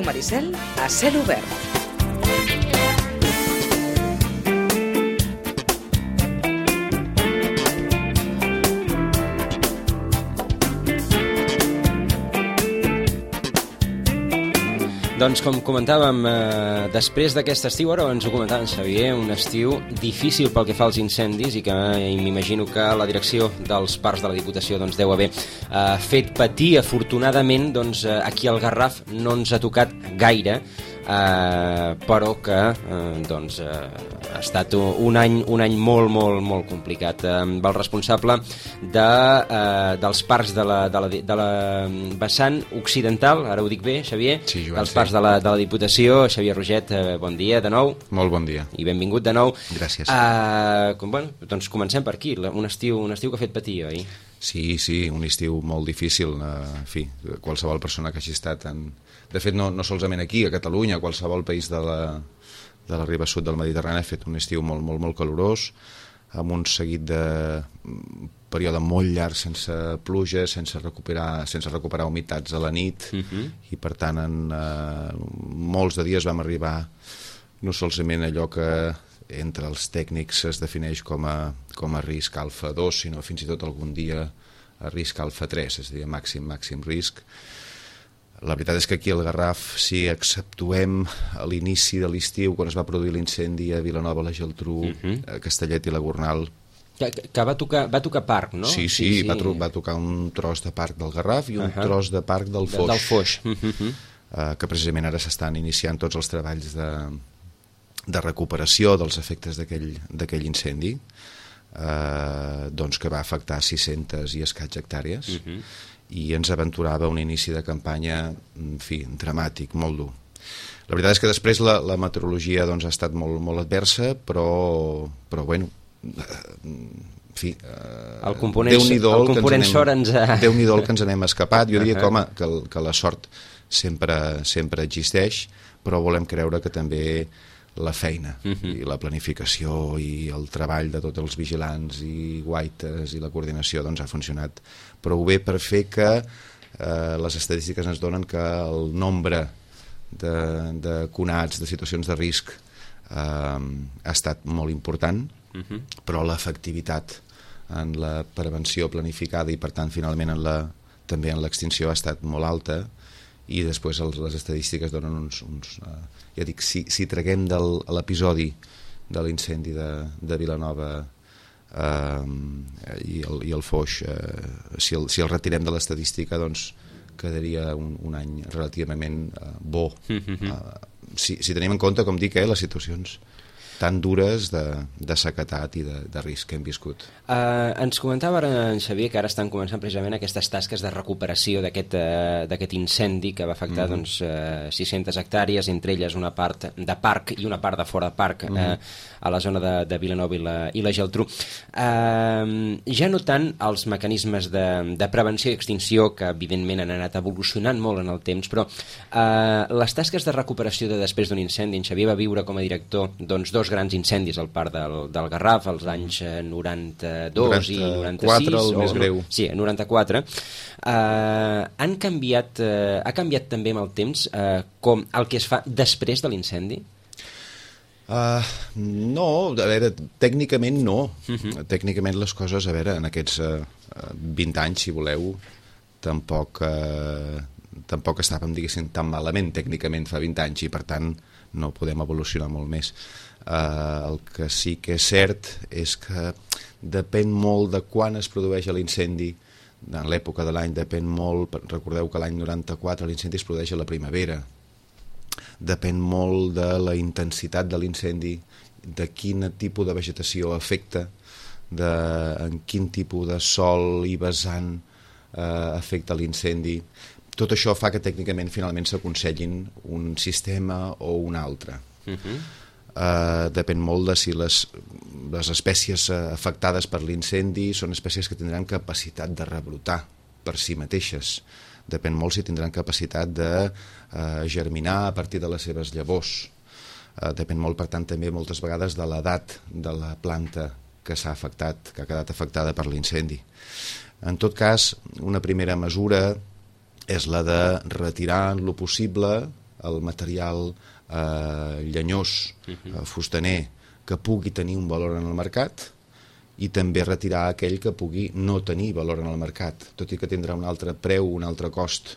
Ràdio Maricel a cel obert. Doncs com comentàvem, després d'aquest estiu, ara ens ho comentava en Xavier, un estiu difícil pel que fa als incendis i que m'imagino que la direcció dels parcs de la Diputació doncs, deu haver fet patir. Afortunadament, doncs, aquí al Garraf no ens ha tocat gaire, però que doncs, ha estat un any molt complicat. El responsable dels parcs de la vessant occidental, ara ho dic bé, Xavier, sí, Joan, dels parcs de la Diputació, Xavier Roget, bon dia de nou. Molt bon dia. I benvingut de nou. Gràcies. Doncs comencem per aquí, un estiu que ha fet patir, oi? Sí, un estiu molt difícil. En fi, qualsevol persona que hagi estat de fet, no solament aquí, a Catalunya, a qualsevol país de la riba sud del Mediterrani ha fet un estiu molt calorós, amb un seguit de període molt llarg sense pluja, sense recuperar humitats a la nit, i per tant en molts de dies vam arribar no solament allò que entre els tècnics es defineix com a risc alfa 2, sinó fins i tot algun dia a risc alfa 3, és a dir, màxim risc. La veritat és que aquí al Garraf, si exceptuem a l'inici de l'estiu, quan es va produir l'incendi a Vilanova, la Geltrú, a Castellet i la Gornal... Que va tocar parc, no? Sí. Va tocar un tros de parc del Garraf i un tros de parc del Foix. Del Foix. Que precisament ara s'estan iniciant tots els treballs de recuperació dels efectes d'aquell incendi, doncs que va afectar 600 i escaig hectàrees, i ens aventurava un inici de campanya, en fi, dramàtic, molt dur. La veritat és que després la meteorologia doncs, ha estat molt adversa, però bueno, en fi, el component sort ens ha... Déu-n'hi-do el que ens n'hem escapat. Jo diria que la sort sempre existeix, però volem creure que també la feina i la planificació i el treball de tots els vigilants i guaites i la coordinació doncs ha funcionat prou bé per fer que les estadístiques ens donen que el nombre de conats, de situacions de risc ha estat molt important, però l'efectivitat en la prevenció planificada i per tant finalment també en l'extinció ha estat molt alta, i després les estadístiques donen uns ja dic, si traguem de l'episodi de l'incendi de Vilanova i el Foix, si el retirem de l'estadística, doncs quedaria un any relativament bo, si tenim en compte, com dic, les situacions tan dures de sequedat i de risc que hem viscut. Ens comentava ara en Xavier que ara estan començant precisament aquestes tasques de recuperació d'aquest incendi que va afectar 600 hectàrees, entre elles una part de parc i una part de fora de parc a la zona de Vilanova i la Geltrú. Ja no tant els mecanismes de prevenció i extinció, que evidentment han anat evolucionant molt en el temps, però les tasques de recuperació de després d'un incendi, en Xavier va viure com a director dos grans incendis al parc del Garraf als anys 92 i 96. El més greu. Sí, 94. Ha canviat també amb el temps com el que es fa després de l'incendi? No, a veure, tècnicament no. Tècnicament les coses, a veure, en aquests 20 anys, si voleu, tampoc estàvem, diguéssim, tan malament tècnicament fa 20 anys, i per tant no podem evolucionar molt més. El que sí que és cert és que depèn molt de quan es produeix l'incendi. En l'època de l'any depèn molt, recordeu que l'any 94 l'incendi es produeix a la primavera, depèn molt de la intensitat de l'incendi, de quin tipus de vegetació afecta, en quin tipus de sòl i vessant afecta l'incendi. Tot això fa que tècnicament finalment s'aconsellin un sistema o un altre. Depèn molt de si les espècies afectades per l'incendi són espècies que tindran capacitat de rebrotar per si mateixes. Depèn molt si tindran capacitat de germinar a partir de les seves llavors. Depèn molt, per tant, també moltes vegades de l'edat de la planta que s'ha afectat, que ha quedat afectada per l'incendi. En tot cas, una primera mesura és la de retirar en lo possible el material llenyós, fustaner, que pugui tenir un valor en el mercat, i també retirar aquell que pugui no tenir valor en el mercat, tot i que tindrà un altre preu, un altre cost.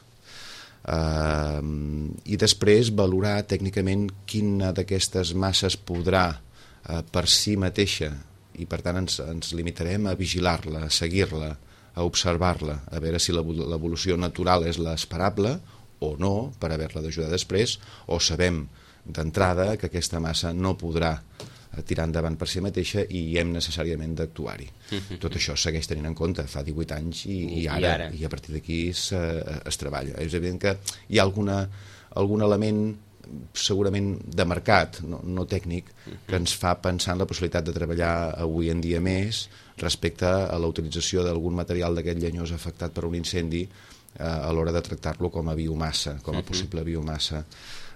I després valorar tècnicament quina d'aquestes masses podrà per si mateixa, i per tant ens limitarem a vigilar-la, a seguir-la, a observar-la, a veure si l'evolució natural és l'esperable o no, per haver-la d'ajudar després, o sabem d'entrada que aquesta massa no podrà tirar endavant per si mateixa i hem necessàriament d'actuar-hi. Tot això segueix tenint en compte fa 18 anys i ara, i a partir d'aquí es treballa. És evident que hi ha algun element segurament de mercat, no tècnic, que ens fa pensar en la possibilitat de treballar avui en dia més respecte a la utilització d'algun material d'aquest llenyós afectat per un incendi a l'hora de tractar-lo com a biomassa, com a possible biomassa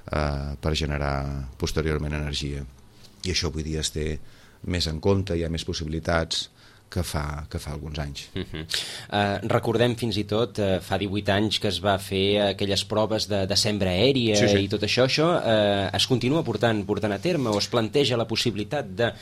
per generar posteriorment energia. I això avui dia es té més en compte, hi ha més possibilitats que fa alguns anys. Recordem fins i tot, fa 18 anys que es va fer aquelles proves de sembra aèria i tot això. Això es continua portant a terme o es planteja la possibilitat de...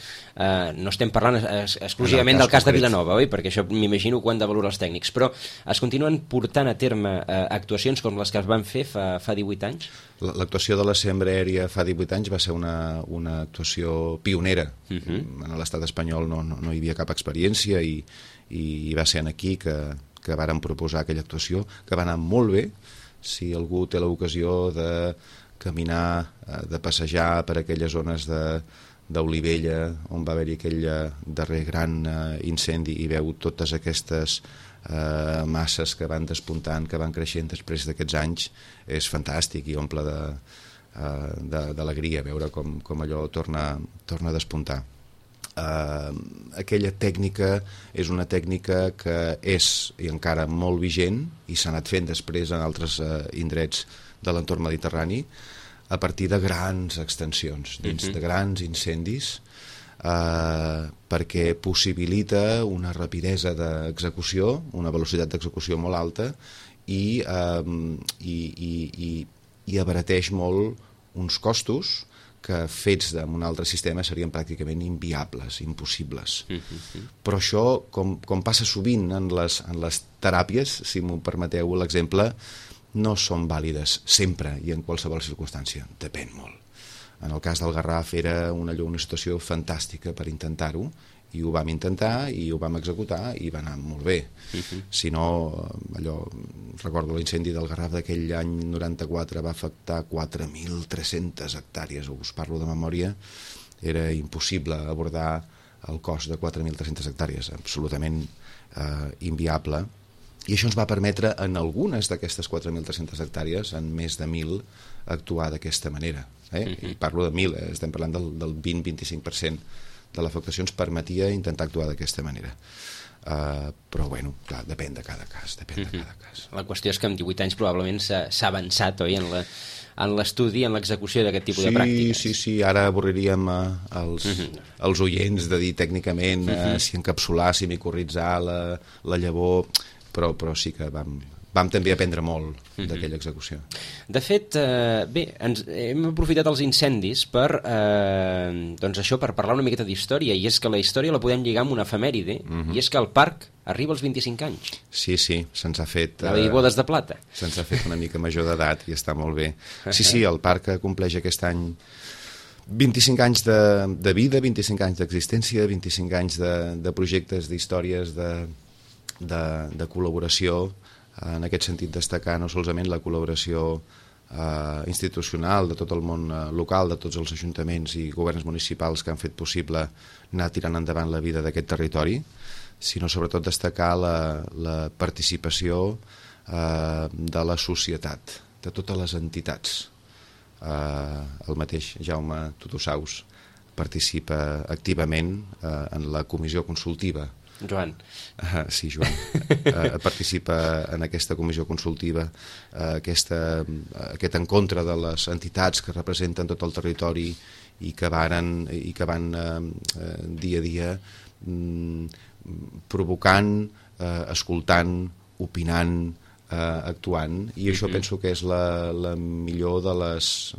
No estem parlant exclusivament del cas de Vilanova, oi? Perquè això m'imagino que ho han de valorar els tècnics, però es continuen portant a terme actuacions com les que es van fer fa 18 anys? L'actuació de la sembra aèria fa 18 anys va ser una actuació pionera. En l'estat espanyol no hi havia cap experiència i va ser aquí que vàrem proposar aquella actuació, que va anar molt bé. Si algú té l'ocasió de caminar, de passejar per aquelles zones d'Olivella, on va haver-hi aquell darrer gran incendi, i veu totes aquestes masses que van despuntant, que van creixent després d'aquests anys, és fantàstic i omple d'alegria veure com allò torna a despuntar. Aquella tècnica és una tècnica que és i encara molt vigent i s'ha anat fent després en altres indrets de l'entorn mediterrani a partir de grans extensions, dins de grans incendis, perquè possibilita una rapidesa d'execució, una velocitat d'execució molt alta i abarateix molt uns costos que fets en un altre sistema serien pràcticament inviables, impossibles. Però això, com passa sovint en les teràpies, si m'ho permeteu l'exemple, no són vàlides sempre i en qualsevol circumstància, depèn molt. En el cas del Garraf era una situació fantàstica per intentar-ho, i ho vam intentar i ho vam executar i va anar molt bé. Si no, recordo l'incendi del Garraf d'aquell any 94 va afectar 4.300 hectàrees, us parlo de memòria, era impossible abordar el cost de 4.300 hectàrees, absolutament inviable, i això ens va permetre en algunes d'aquestes 4.300 hectàrees, en més de 1.000, actuar d'aquesta manera. I parlo de 1.000, estem parlant del 20-25% de l'afectació ens permetia intentar actuar d'aquesta manera. Però, bueno, clar, depèn de cada cas. La qüestió és que en 18 anys probablement s'ha avançat, oi, en l'estudi, en l'execució d'aquest tipus de pràctiques. Sí, ara avorriríem els oients de dir tècnicament si encapsular, si micoritzar la llavor, però sí que vam també aprendre molt d'aquella execució. De fet, bé, hem aprofitat els incendis per parlar una miqueta d'història, i és que la història la podem lligar amb una efemèride, i és que el parc arriba als 25 anys. Sí, se'ns ha fet... bodes de plata. Se'ns ha fet una mica major d'edat i està molt bé. Sí, el parc compleix aquest any 25 anys de vida, 25 anys d'existència, 25 anys de projectes, d'històries, de col·laboració. En aquest sentit, destacar no solament la col·laboració institucional de tot el món local, de tots els ajuntaments i governs municipals que han fet possible anar tirant endavant la vida d'aquest territori, sinó sobretot destacar la participació de la societat, de totes les entitats. El mateix Jaume Tutusaus participa activament en la comissió consultiva. Joan. Sí, Joan. Participa en aquesta comissió consultiva, aquest encontre de les entitats que representen tot el territori i que van dia a dia provocant, escoltant, opinant, actuant, i això penso que és la millor de les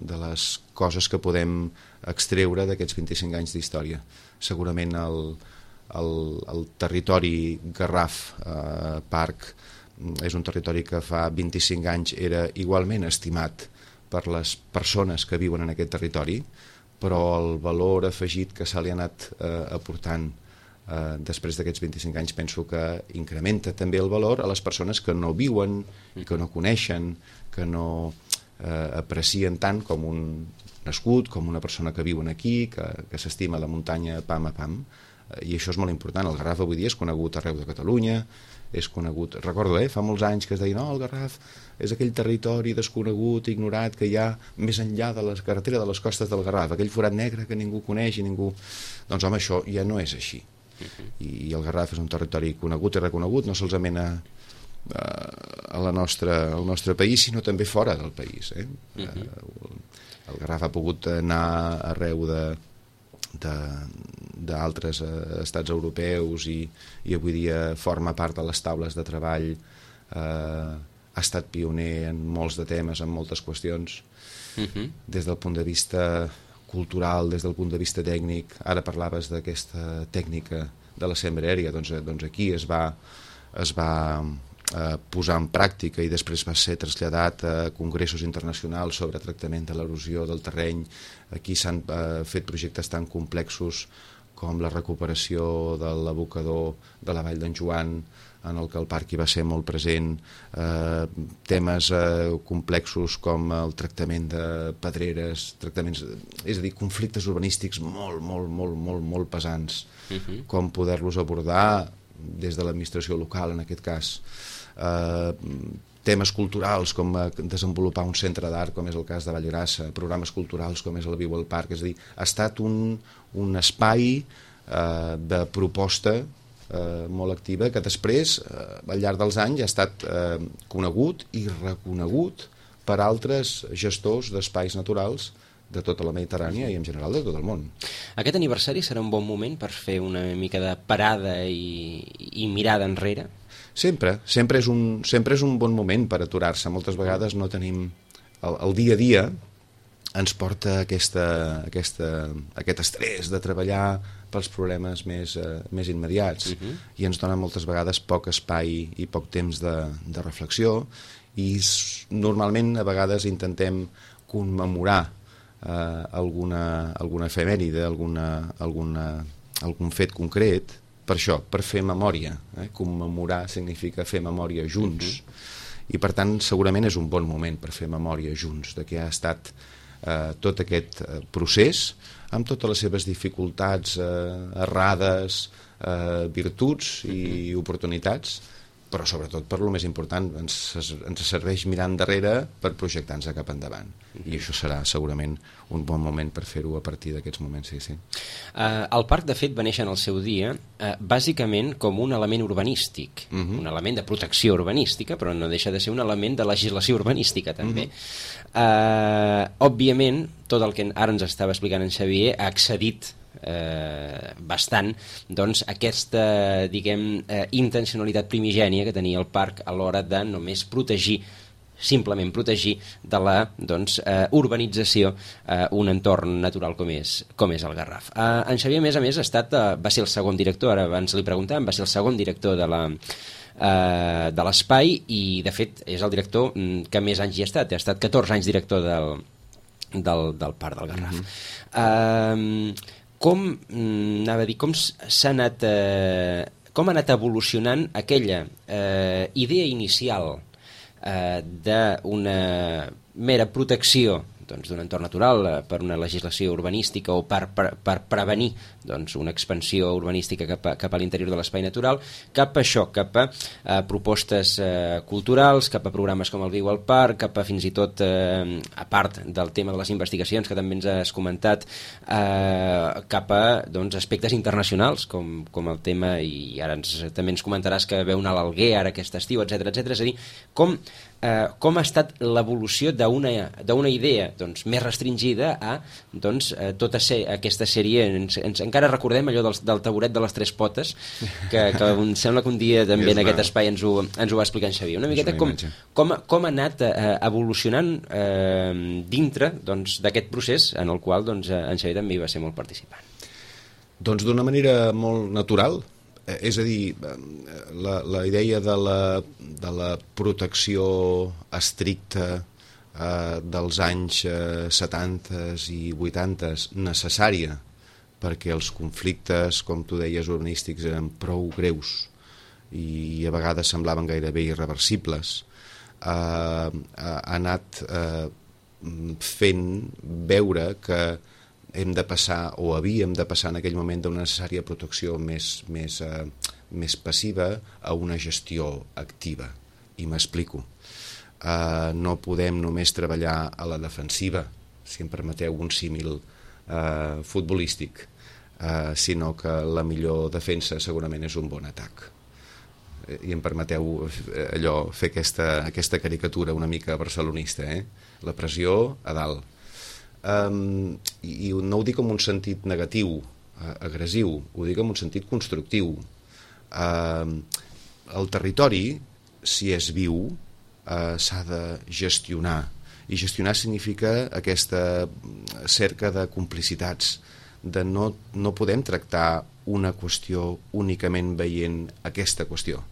coses que podem extreure d'aquests 25 anys d'història. Segurament el territori Garraf Parc és un territori que fa 25 anys era igualment estimat per les persones que viuen en aquest territori, però el valor afegit que se li ha anat aportant després d'aquests 25 anys penso que incrementa també el valor a les persones que no viuen i que no coneixen, que no aprecien tant com un nascut, com una persona que viu aquí, que s'estima la muntanya pam a pam, i això és molt important. El Garraf avui dia és conegut arreu de Catalunya, és conegut, recordo, fa molts anys que es deia, no, el Garraf és aquell territori desconegut, ignorat, que hi ha més enllà de la carretera de les costes del Garraf, aquell forat negre que ningú coneix i ningú... Doncs home, això ja no és així. I el Garraf és un territori conegut i reconegut, no solament al nostre país, sinó també fora del país. El Garraf ha pogut anar arreu d'altres estats europeus i avui dia forma part de les taules de treball, ha estat pioner en molts de temes, en moltes qüestions, des del punt de vista cultural, des del punt de vista tècnic. Ara parlaves d'aquesta tècnica de la sembra aèria, doncs aquí es va posar en pràctica i després va ser traslladat a congressos internacionals sobre tractament de l'erosió del terreny. Aquí s'han fet projectes tan complexos com la recuperació de l'abocador de la Vall d'en Joan, en el que el parc hi va ser molt present, temes complexos com el tractament de pedreres, és a dir, conflictes urbanístics molt pesants, com poder-los abordar des de l'administració local, en aquest cas. Temes culturals com desenvolupar un centre d'art, com és el cas de Vallgrassa, programes culturals com és el Viu al Parc, és a dir, ha estat un espai de proposta molt activa que després, al llarg dels anys, ha estat conegut i reconegut per altres gestors d'espais naturals de tota la Mediterrània i en general de tot el món. Aquest aniversari serà un bon moment per fer una mica de parada i mirada enrere? Sempre és un bon moment per aturar-se. Moltes vegades no tenim... El dia a dia ens porta aquest estrès de treballar pels problemes més immediats i ens dona moltes vegades poc espai i poc temps de reflexió, i normalment a vegades intentem commemorar alguna efemèride, algun fet concret, per això, per fer memòria. Commemorar significa fer memòria junts, i per tant segurament és un bon moment per fer memòria junts de què ha estat tot aquest procés, amb totes les seves dificultats, errades, virtuts i oportunitats, però sobretot per lo més important, ens serveix mirar endarrere per projectar-nos cap endavant, i això serà segurament un bon moment per fer-ho a partir d'aquests moments. Sí. El parc, de fet, va néixer en el seu dia bàsicament com un element urbanístic, un element de protecció urbanística, però no deixa de ser un element de legislació urbanística també. Òbviament, tot el que ara ens estava explicant en Xavier ha excedit bastant doncs aquesta, diguem, intencionalitat primigènia que tenia el parc a l'hora de només simplement protegir de la urbanització un entorn natural com és el Garraf. En Xavier, a més, va ser el segon director, ara abans li preguntàvem, va ser el segon director de l'espai, i de fet és el director que més anys hi ha estat 14 anys director del parc del Garraf. Com ha anat evolucionant aquella idea inicial d'una mera protecció d'un entorn natural per una legislació urbanística o per prevenir una expansió urbanística cap a l'interior de l'espai natural, cap a això, cap a propostes culturals, cap a programes com el Viu al Parc, cap a fins i tot, a part del tema de les investigacions que també ens has comentat, cap a aspectes internacionals com el tema, i ara també ens comentaràs que veu anar a l'Alguer ara aquest estiu, etc. És a dir, com com ha estat l'evolució d'una idea doncs, més restringida a doncs, tota aquesta sèrie. Encara recordem allò del taburet de les tres potes, que em sembla que un dia també en aquest espai ens ho va explicar en Xavier. Una miqueta com ha anat evolucionant dintre doncs, d'aquest procés en el qual doncs, en Xavier també hi va ser molt participant. Doncs d'una manera molt natural, és a dir, la idea de la protecció estricta dels anys 70 i 80 necessària, perquè els conflictes, com tu deies, urbanístics eren prou greus i a vegades semblaven gairebé irreversibles, ha anat fent veure que hem de passar, o havíem de passar en aquell moment d'una necessària protecció més passiva a una gestió activa. I m'explico. No podem només treballar a la defensiva, si em permeteu un símil futbolístic, sinó que la millor defensa segurament és un bon atac. I em permeteu fer aquesta caricatura una mica barcelonista, la pressió a dalt. I no ho dic en un sentit negatiu, agressiu, ho dic en un sentit constructiu. El territori, si és viu, s'ha de gestionar, i gestionar significa aquesta cerca de complicitats, de no podem tractar una qüestió únicament veient aquesta qüestió.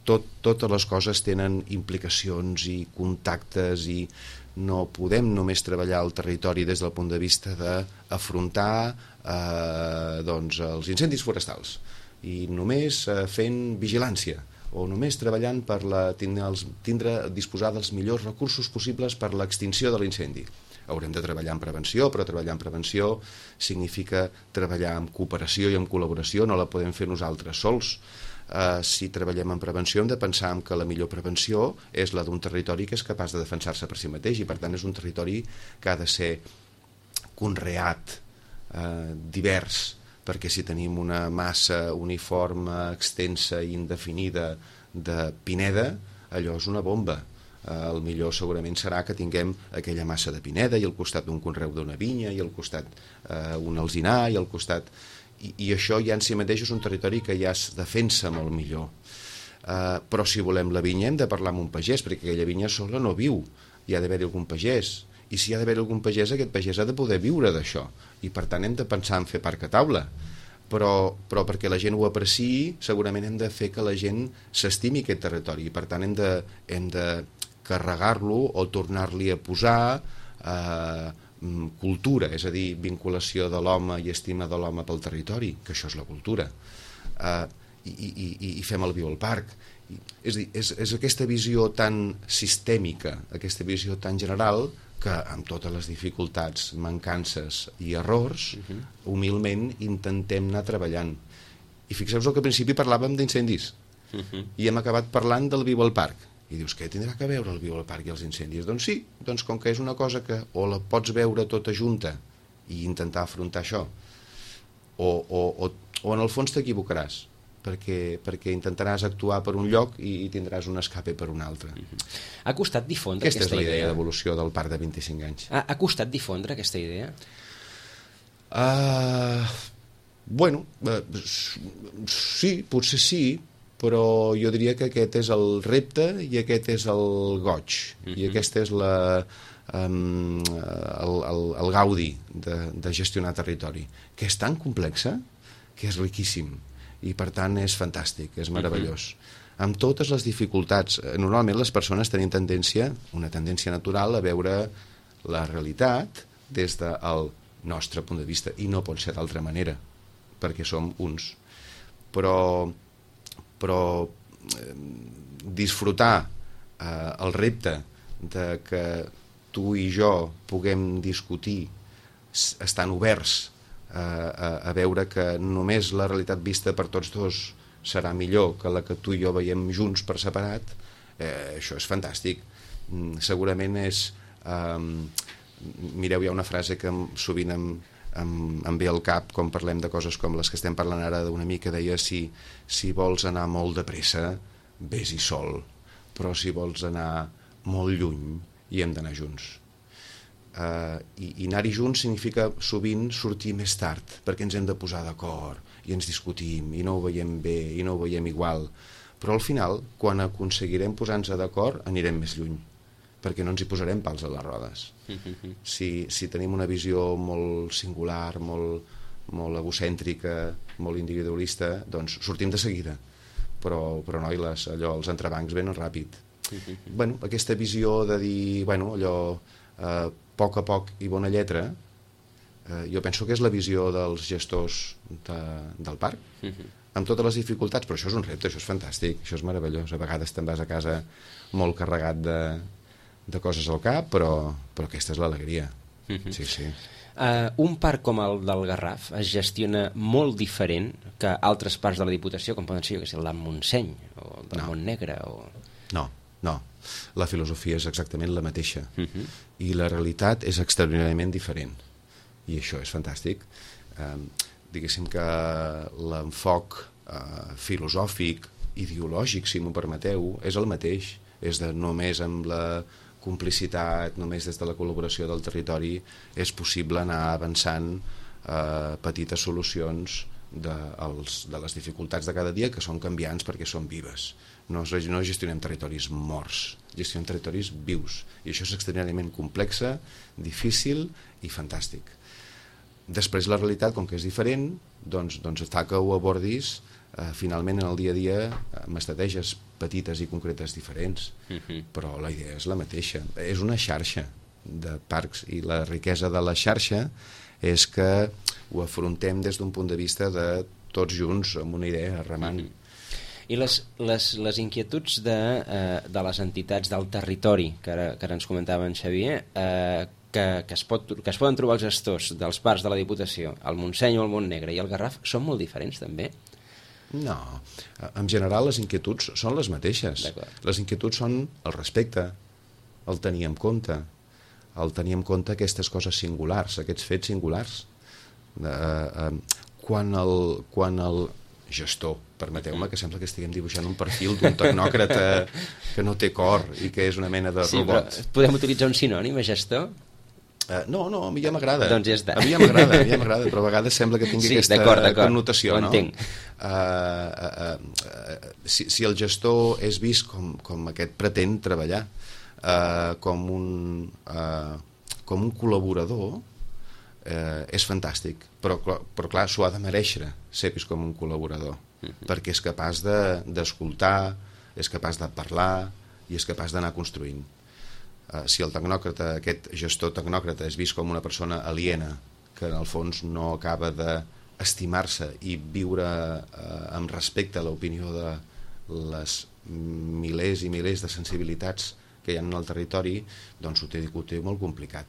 Totes les coses tenen implicacions i contactes, i no podem només treballar al territori des del punt de vista d'afrontar doncs, els incendis forestals i només fent vigilància o només treballant per disposar dels millors recursos possibles per l'extinció de l'incendi. Haurem de treballar en prevenció, però treballar en prevenció significa treballar en cooperació i en col·laboració, no la podem fer nosaltres sols. Si treballem en prevenció hem de pensar que la millor prevenció és la d'un territori que és capaç de defensar-se per si mateix, i per tant és un territori que ha de ser conreat, divers, perquè si tenim una massa uniforme, extensa i indefinida de pineda, allò és una bomba. El millor segurament serà que tinguem aquella massa de pineda i al costat d'un conreu d'una vinya i al costat un alzinar i al costat... I això ja en si mateix és un territori que ja es defensa molt millor. Però si volem la vinya hem de parlar amb un pagès, perquè aquella vinya sola no viu, hi ha d'haver-hi algun pagès, i si hi ha d'haver algun pagès, aquest pagès ha de poder viure d'això, i per tant hem de pensar en fer parc a taula. Però perquè la gent ho apreciï, segurament hem de fer que la gent s'estimi aquest territori, i per tant hem de carregar-lo o tornar-li a posar cultura, és a dir, vinculació de l'home i estima de l'home pel territori, que això és la cultura, i fem el viu al parc. És a dir, és aquesta visió tan sistèmica, aquesta visió tan general, que amb totes les dificultats, mancances i errors, humilment intentem anar treballant. I fixeu-vos que al principi parlàvem d'incendis, i hem acabat parlant del viu al parc. I dius, què tindrà que veure el viu al parc i els incendis? Doncs sí, doncs com que és una cosa que o la pots veure tota junta i intentar afrontar això, o en el fons t'equivocaràs, perquè intentaràs actuar per un lloc i tindràs un escape per un altre. Ha costat difondre aquesta idea? Aquesta és la idea d'evolució del parc de 25 anys. Ha costat difondre aquesta idea? Bueno, sí, potser sí, però jo diria que aquest és el repte i aquest és el goig, i aquest és el gaudi de gestionar territori, que és tan complexa que és riquíssim, i per tant és fantàstic, és meravellós. Amb totes les dificultats, normalment les persones tenen una tendència natural a veure la realitat des del nostre punt de vista, i no pot ser d'altra manera, perquè som uns. Però disfrutar el repte de que tu i jo puguem discutir estan oberts a veure que només la realitat vista per tots dos serà millor que la que tu i jo veiem junts per separat, això és fantàstic. Segurament és... Mireu, hi ha una frase que sovint em ve al cap quan parlem de coses com les que estem parlant ara d'una mica, deia, si vols anar molt de pressa, vés-hi sol, però si vols anar molt lluny i hem d'anar junts. I anar-hi junts significa sovint sortir més tard, perquè ens hem de posar d'acord i ens discutim i no ho veiem bé i no ho veiem igual, però al final, quan aconseguirem posar-nos d'acord, anirem més lluny, perquè no ens hi posarem pals a les rodes. Si tenim una visió molt singular, molt egocèntrica, molt individualista, doncs sortim de seguida, però noi, els entrebancs venen ràpid. Bueno, aquesta visió de dir, bueno, allò, a poc i bona lletra, jo penso que és la visió dels gestors del parc, amb totes les dificultats, però això és un repte, això és fantàstic, això és meravellós. A vegades te'n vas a casa molt carregat de coses al cap, però aquesta és l'alegria. Sí. Un parc com el del Garraf es gestiona molt diferent que altres parcs de la Diputació, com poden ser, jo que sé, el del Montseny o el del Montnegre o... No. La filosofia és exactament la mateixa i la realitat és extraordinàriament diferent. I això és fantàstic. Diguéssim que l'enfoc filosòfic, ideològic, si m'ho permeteu, és el mateix. És de només amb la complicitat, només des de la col·laboració del territori és possible anar avançant petites solucions de les dificultats de cada dia, que són canviants perquè són vives. No gestionem territoris morts, gestionem territoris vius, i això és extraordinàriament complexa, difícil i fantàstic. Després la realitat, com que és diferent, doncs fa que ho abordis finalment en el dia a dia amb estratègies petites i concretes diferents, però la idea és la mateixa. És una xarxa de parcs i la riquesa de la xarxa és que ho afrontem des d'un punt de vista de tots junts amb una idea remant. I les inquietuds de les entitats del territori que ara ens comentava en Xavier, que es poden trobar els gestors dels parcs de la Diputació, el Montseny o el Montnegre i el Garraf, són molt diferents també? No, en general les inquietuds són les mateixes. Les inquietuds són el respecte, el tenir en compte aquestes coses singulars, aquests fets singulars. Quan el gestor, permeteu-me, que sembla que estiguem dibuixant un perfil d'un tecnòcrata que no té cor i que és una mena de robot. Sí, podem utilitzar un sinònim a gestor? No, a mi ja m'agrada. Doncs ja està. A mi ja m'agrada, però a vegades sembla que tingui aquesta connotació. Ho entenc. Si el gestor és vist com aquest pretén treballar, com un col·laborador, és fantàstic, però clar, s'ho ha de mereixer ser vist com un col·laborador, perquè és capaç d'escoltar, és capaç de parlar i és capaç d'anar construint. Si el tecnòcrata, aquest gestor tecnòcrata, és vist com una persona aliena que en el fons no acaba d'estimar-se i viure amb respecte a l'opinió de les milers i milers de sensibilitats que hi ha en el territori, doncs ho té molt complicat.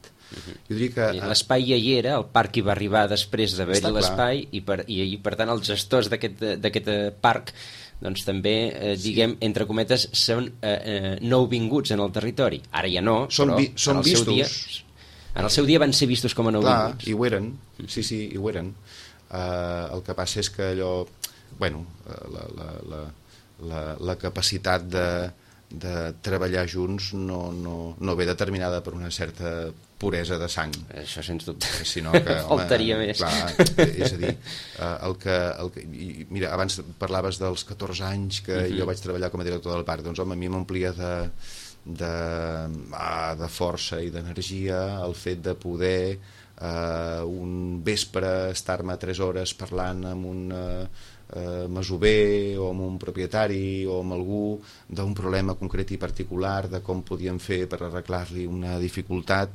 Jo diria que l'espai ja hi era, el parc hi va arribar després d'haver-hi l'espai, i per tant els gestors d'aquest parc doncs també, diguem, entre cometes, són nouvinguts en el territori. Ara ja no, són vistos. En el seu dia van ser vistos com a nouvinguts. Clar, i ho eren, sí, i ho eren. El que passa és que allò, bueno, la capacitat de treballar junts no ve determinada per una certa puresa de sang. Això sens dubte. Sinó que, faltaria més. Clar, és a dir, mira, abans parlaves dels 14 anys que jo vaig treballar com a director del parc, doncs home, a mi m'omplia de força i d'energia el fet de poder un vespre estar-me 3 hores parlant amb un masover o amb un propietari o amb algú d'un problema concret i particular, de com podíem fer per arreglar-li una dificultat,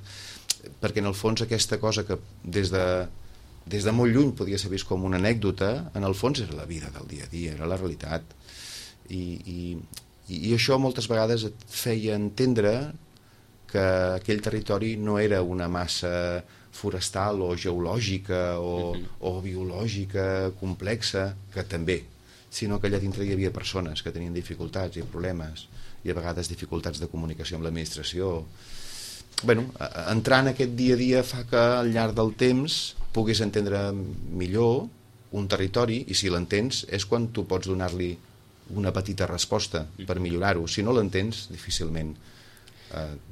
perquè en el fons aquesta cosa que des de molt lluny podia ser vist com una anècdota, en el fons era la vida del dia a dia, era la realitat, i això moltes vegades et feia entendre que aquell territori no era una massa forestal o geològica o biològica complexa, que també, sinó que allà dintre hi havia persones que tenien dificultats i problemes, i a vegades dificultats de comunicació amb l'administració. Bueno, entrar en aquest dia a dia fa que al llarg del temps puguis entendre millor un territori, i si l'entens és quan tu pots donar-li una petita resposta per millorar-ho. Si no l'entens, difícilment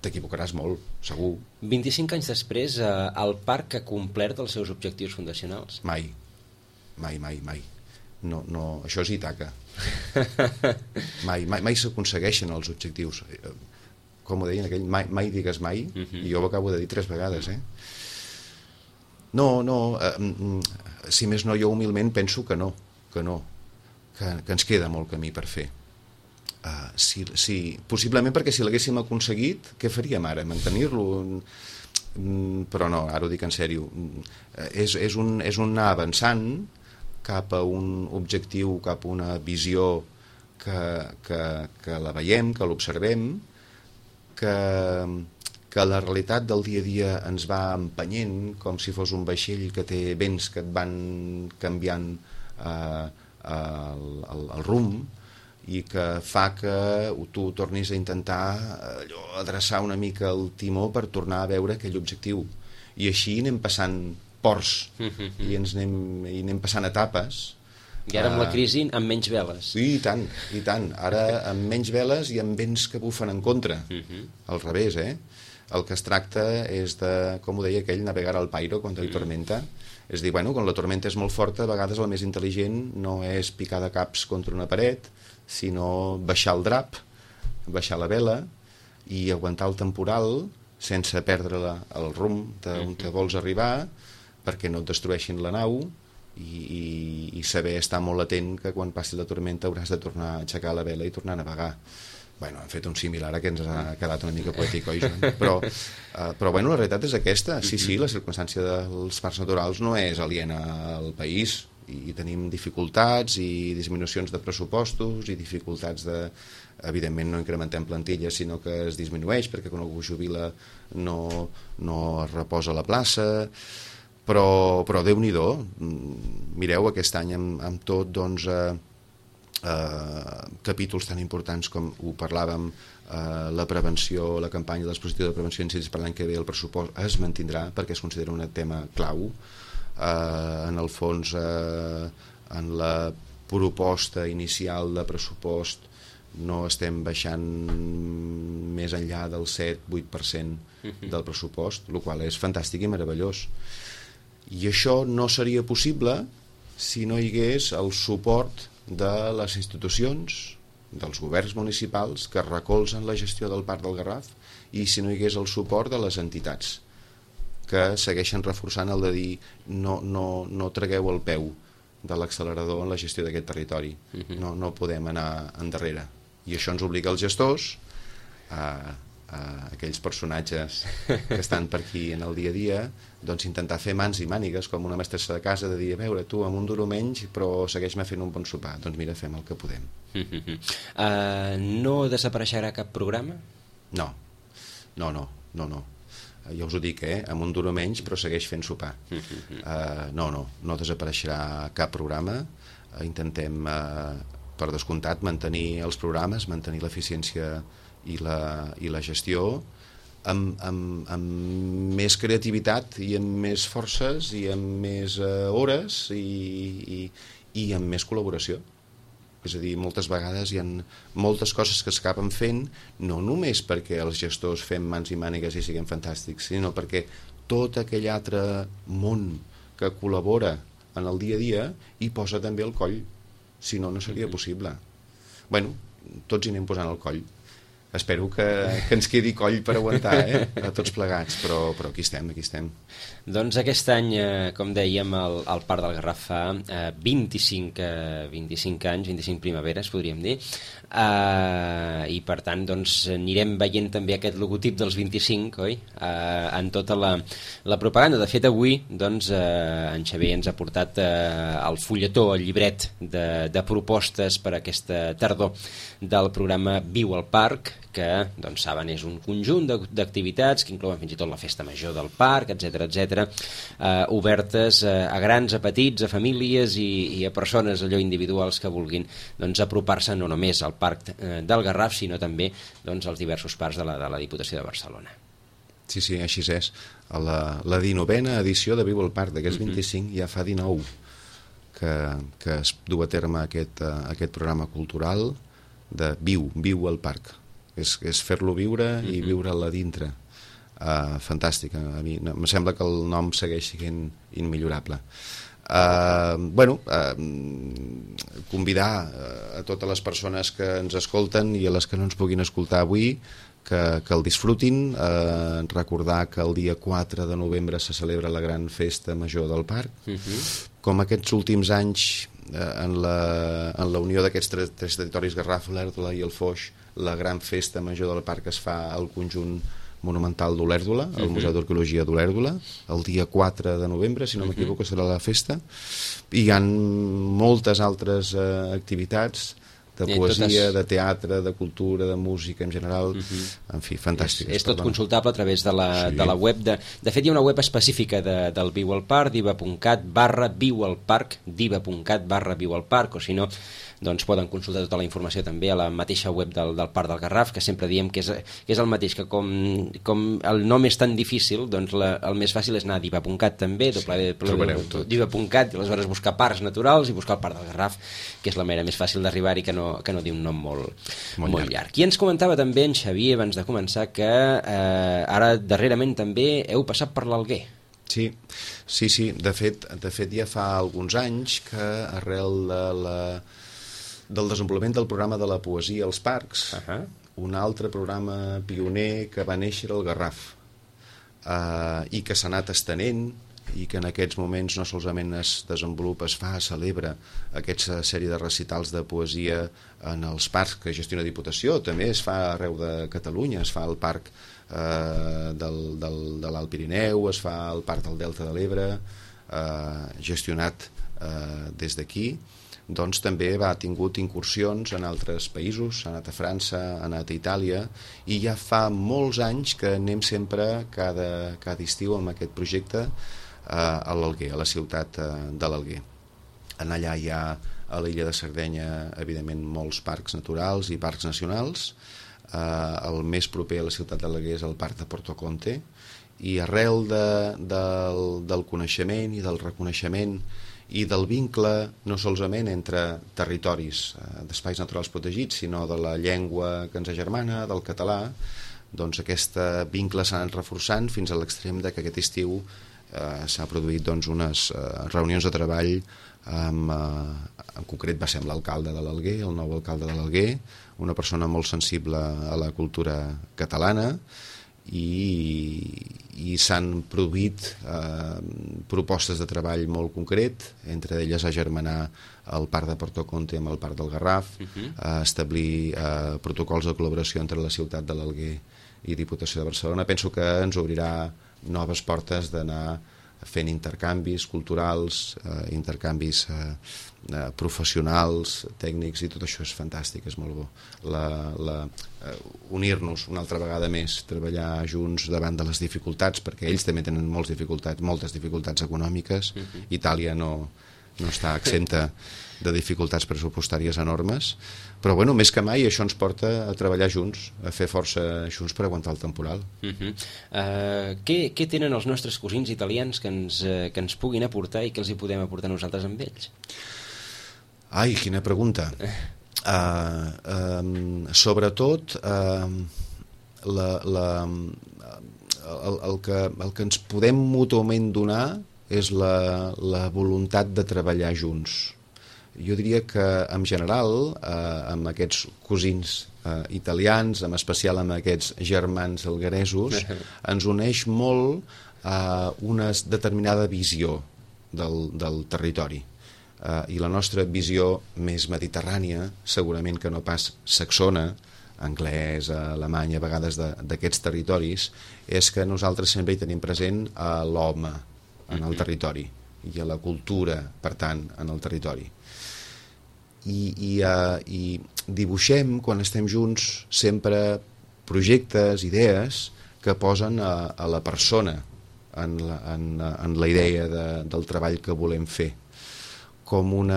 t'equivocaràs molt, segur. 25 anys després, el parc ha complert els seus objectius fundacionals? Mai. No, això és Ítaca. Mai s'aconsegueixen els objectius. Com ho deien aquell, mai digues mai, i jo ho acabo de dir 3 vegades, si més no, jo humilment penso que no, que ens queda molt camí per fer. Possiblement perquè si l'haguéssim aconseguit, què faríem ara? Mantenir-lo? Però no, ara ho dic en sèrio. És un anar avançant cap a un objectiu, cap a una visió que la veiem, que l'observem, que la realitat del dia a dia ens va empenyent com si fos un vaixell que té vents que et van canviant el rumb i que fa que tu tornis a intentar adreçar una mica el timó per tornar a veure aquell objectiu. I així anem passant ports i anem passant etapes. I ara amb la crisi amb menys veles. I tant. Ara amb menys veles i amb vents que bufen en contra. Al revés, El que es tracta és de, com ho deia aquell, navegar al pairo quan hi tormenta. És dir, quan la tormenta és molt forta, a vegades el més intel·ligent no és picar de caps contra una paret, sinó baixar el drap, baixar la vela i aguantar el temporal sense perdre el rumb on te vols arribar perquè no et destrueixin la nau i saber estar molt atent que quan passi la tormenta hauràs de tornar a aixecar la vela i tornar a navegar. Hem fet un similar que ens ha quedat una mica poètic, oi, Joan? Però la realitat és aquesta. Sí, la circumstància dels parcs naturals no és aliena al país i tenim dificultats i disminucions de pressupostos i dificultats de... Evidentment no incrementem plantilles, sinó que es disminueix perquè quan algú jubila no es reposa a la plaça, però Déu-n'hi-do. Mireu, aquest any amb tot, doncs... capítols tan importants com ho parlàvem, la prevenció, la campanya del dispositiu de prevenció d'incendis per l'any que ve, el pressupost es mantindrà perquè es considera un tema clau. En el fons, en la proposta inicial de pressupost no estem baixant més enllà del 7-8% del pressupost, el qual és fantàstic i meravellós. I això no seria possible si no hi hagués el suport de les institucions, dels governs municipals que recolzen la gestió del Parc del Garraf i si no hi hagués el suport de les entitats que segueixen reforçant el de dir no tragueu el peu de l'accelerador en la gestió d'aquest territori. No podem anar endarrere. I això ens obliga als gestors, a aquells personatges que estan per aquí en el dia a dia, doncs intentar fer mans i mànigues com una mestressa de casa, de dir, a veure, tu amb un duro menys però segueix-me fent un bon sopar. Doncs mira, fem el que podem. No desapareixerà cap programa? No. Ja us ho dic, amb un duro menys però segueix fent sopar. No desapareixerà cap programa. Intentem, per descomptat, mantenir els programes, mantenir l'eficiència i la gestió amb més creativitat i amb més forces i amb més hores i amb més col·laboració. És a dir, moltes vegades hi ha moltes coses que s'acaben fent no només perquè els gestors fem mans i mànigues i siguem fantàstics, sinó perquè tot aquell altre món que col·labora en el dia a dia hi posa també el coll, si no seria possible. Tots hi anem posant el coll. Espero que ens quedi coll per aguantar, a tots plegats, però aquí estem. Doncs aquest any, com dèiem, el Parc del Garraf fa 25 anys, 25 primaveres, podríem dir, i per tant doncs, anirem veient també aquest logotip dels 25, oi? En tota la propaganda. De fet, avui doncs, en Xavier ens ha portat el fulletó, el llibret de propostes per aquesta tardor del programa Viu al Parc, que, doncs, saben, és un conjunt d'activitats que inclouen fins i tot la festa major del parc, etc., obertes a grans, a petits, a famílies i a persones allò individuals que vulguin doncs, apropar-se no només al Parc del Garraf, sinó també doncs, als diversos parcs de la Diputació de Barcelona. Sí, així és. La 19a edició de Viu al Parc, d'aquests 25 ja fa 19 que es du a terme aquest programa cultural de Viu al Parc. és fer-lo viure i viure-la dintre. Fantàstic, a mi em sembla que el nom segueix sent immillorable. Convidar a totes les persones que ens escolten i a les que no ens puguin escoltar avui que el disfrutin, recordar que el dia 4 de novembre se celebra la gran festa major del parc. Com aquests últims anys, en la unió d'aquests tres territoris, Garraf, l'Èrdula i el Foix, la gran festa major del parc es fa al conjunt monumental d'Olèrdola, al Museu d'Arqueologia d'Olèrdola, el dia 4 de novembre, si no m'equivoco, serà la festa. I hi ha moltes altres activitats de poesia, de teatre, de cultura, de música en general, en fi, fantàstic. És tot consultable a través de la web. De fet, hi ha una web específica del Viu al Parc, diva.cat/Viu al Parc, diva.cat/Viu al Parc, o si no, doncs poden consultar tota la informació també a la mateixa web del Parc del Garraf, que sempre diem que és el mateix, que com el nom és tan difícil, doncs el més fàcil és anar a diva.cat també, diva.cat, i aleshores buscar parcs naturals i buscar el Parc del Garraf, que és la manera més fàcil d'arribar-hi, que no diu un nom molt llarg. I ens comentava també en Xavier, abans de començar, que ara darrerament també heu passat per l'Alguer. Sí. De fet ja fa alguns anys que arrel del desenvolupament del programa de la poesia als parcs, un altre programa pioner que va néixer al Garraf i que s'ha anat estenent i que en aquests moments no solament es desenvolupa, es celebra aquesta sèrie de recitals de poesia en els parcs que gestiona Diputació, també es fa arreu de Catalunya, es fa al parc de l'Alt Pirineu, es fa al parc del Delta de l'Ebre, gestionat des d'aquí. Doncs també ha tingut incursions en altres països, ha anat a França, ha anat a Itàlia, i ja fa molts anys que anem sempre cada estiu amb aquest projecte a l'Alguer, a la ciutat de l'Alguer. Allà hi ha a l'illa de Sardenya, evidentment, molts parcs naturals i parcs nacionals. El més proper a la ciutat de l'Alguer és el Parc de Porto Conte, i arrel del coneixement i del reconeixement i del vincle no solament entre territoris d'espais naturals protegits, sinó de la llengua que ens agermana, del català, doncs aquest vincle s'ha anat reforçant fins a l'extrem que aquest estiu s'ha produït unes reunions de treball en concret va ser amb l'alcalde de l'Alguer, el nou alcalde de l'Alguer, una persona molt sensible a la cultura catalana, i s'han produït propostes de treball molt concret, entre elles agermanar el Parc de Porto Conte amb el Parc del Garraf, establir protocols de col·laboració entre la ciutat de l'Alguer i Diputació de Barcelona. Penso que ens obrirà noves portes d'anar fent intercanvis culturals, intercanvis professionals, tècnics, i tot això és fantàstic, és molt bo. Unir-nos una altra vegada més, treballar junts davant de les dificultats, perquè ells també tenen moltes dificultats econòmiques. Itàlia no està exempta de dificultats pressupostàries enormes, però bueno, més que mai això ens porta a treballar junts, a fer força junts per aguantar el temporal. Què tenen els nostres cosins italians que ens puguin aportar i que els hi podem aportar nosaltres amb ells? Ai, quina pregunta. Sobretot el que ens podem mútuament donar és la voluntat de treballar junts. Jo diria que en general amb aquests cosins italians, en especial amb aquests germans algueresos, ens uneix molt una determinada visió del territori. I la nostra visió més mediterrània, segurament que no pas saxona, anglès, alemany, a vegades d'aquests territoris, és que nosaltres sempre hi tenim present l'home en el territori i a la cultura, per tant, en el territori. I dibuixem, quan estem junts, sempre projectes, idees que posen a la persona en la idea del treball que volem fer, com un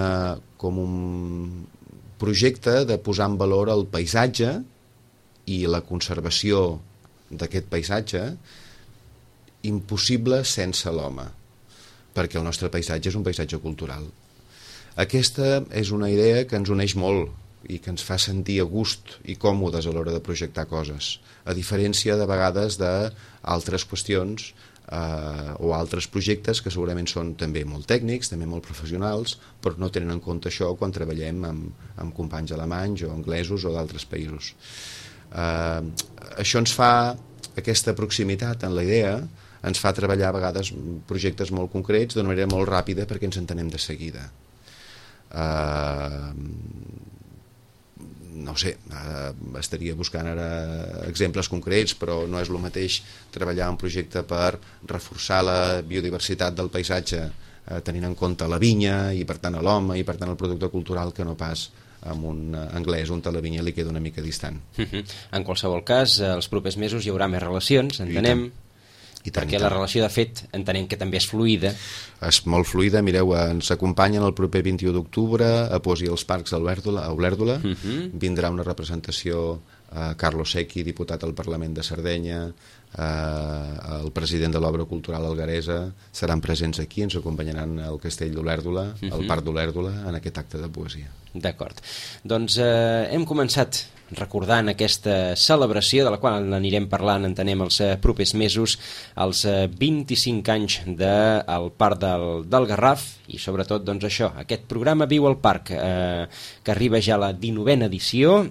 projecte de posar en valor el paisatge i la conservació d'aquest paisatge, impossible sense l'home, perquè el nostre paisatge és un paisatge cultural. Aquesta és una idea que ens uneix molt, i que ens fa sentir a gust i còmodes a l'hora de projectar coses, a diferència de vegades d'altres qüestions o altres projectes que segurament són també molt tècnics, també molt professionals, però no tenen en compte això quan treballem amb companys alemanys o anglesos o d'altres països. Això ens fa, aquesta proximitat en la idea, ens fa treballar a vegades projectes molt concrets d'una manera molt ràpida perquè ens entenem de seguida. No ho sé, estaria buscant ara exemples concrets, però no és el mateix treballar un projecte per reforçar la biodiversitat del paisatge tenint en compte la vinya i per tant l'home i per tant el producte cultural que no pas amb un anglès on la vinya li queda una mica distant. En qualsevol cas, els propers mesos hi haurà més relacions, entenem. Perquè la relació, de fet, entenem que també és fluida. És molt fluida. Mireu, ens acompanyen el proper 21 d'octubre a Poesia als Parcs a Olèrdola. Vindrà una representació Carlos Secchi, diputat al Parlament de Sardenya, el president de l'Obra Cultural Algueresa, seran presents aquí, ens acompanyaran al Castell d'Olèrdola, al Parc d'Olèrdola, en aquest acte de poesia. D'acord. Doncs hem començat recordant aquesta celebració de la qual anirem parlant, entenem, els propers mesos, els 25 anys del Parc del Garraf i sobretot doncs això, aquest programa Viu al Parc que arriba ja a la 19a edició,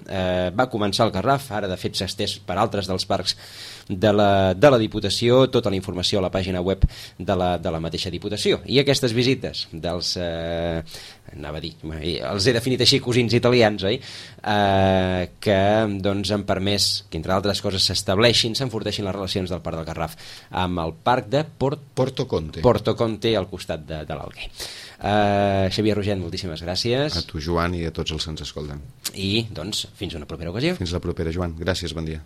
va començar al Garraf, ara de fet s'ha estès per altres dels parcs de la Diputació, tota la informació a la pàgina web de la mateixa Diputació. I aquestes visites dels anava a dir, els he definit així, cosins italians, oi? Que doncs han permès que, entre altres coses, s'enforteixin les relacions del Parc del Garraf amb el Parc de Porto Conte. Porto Conte, al costat de l'Alguer. Xavier Rogent, moltíssimes gràcies. A tu, Joan, i a tots els que ens escolten. I, doncs, fins una propera ocasió. Fins la propera, Joan. Gràcies, bon dia.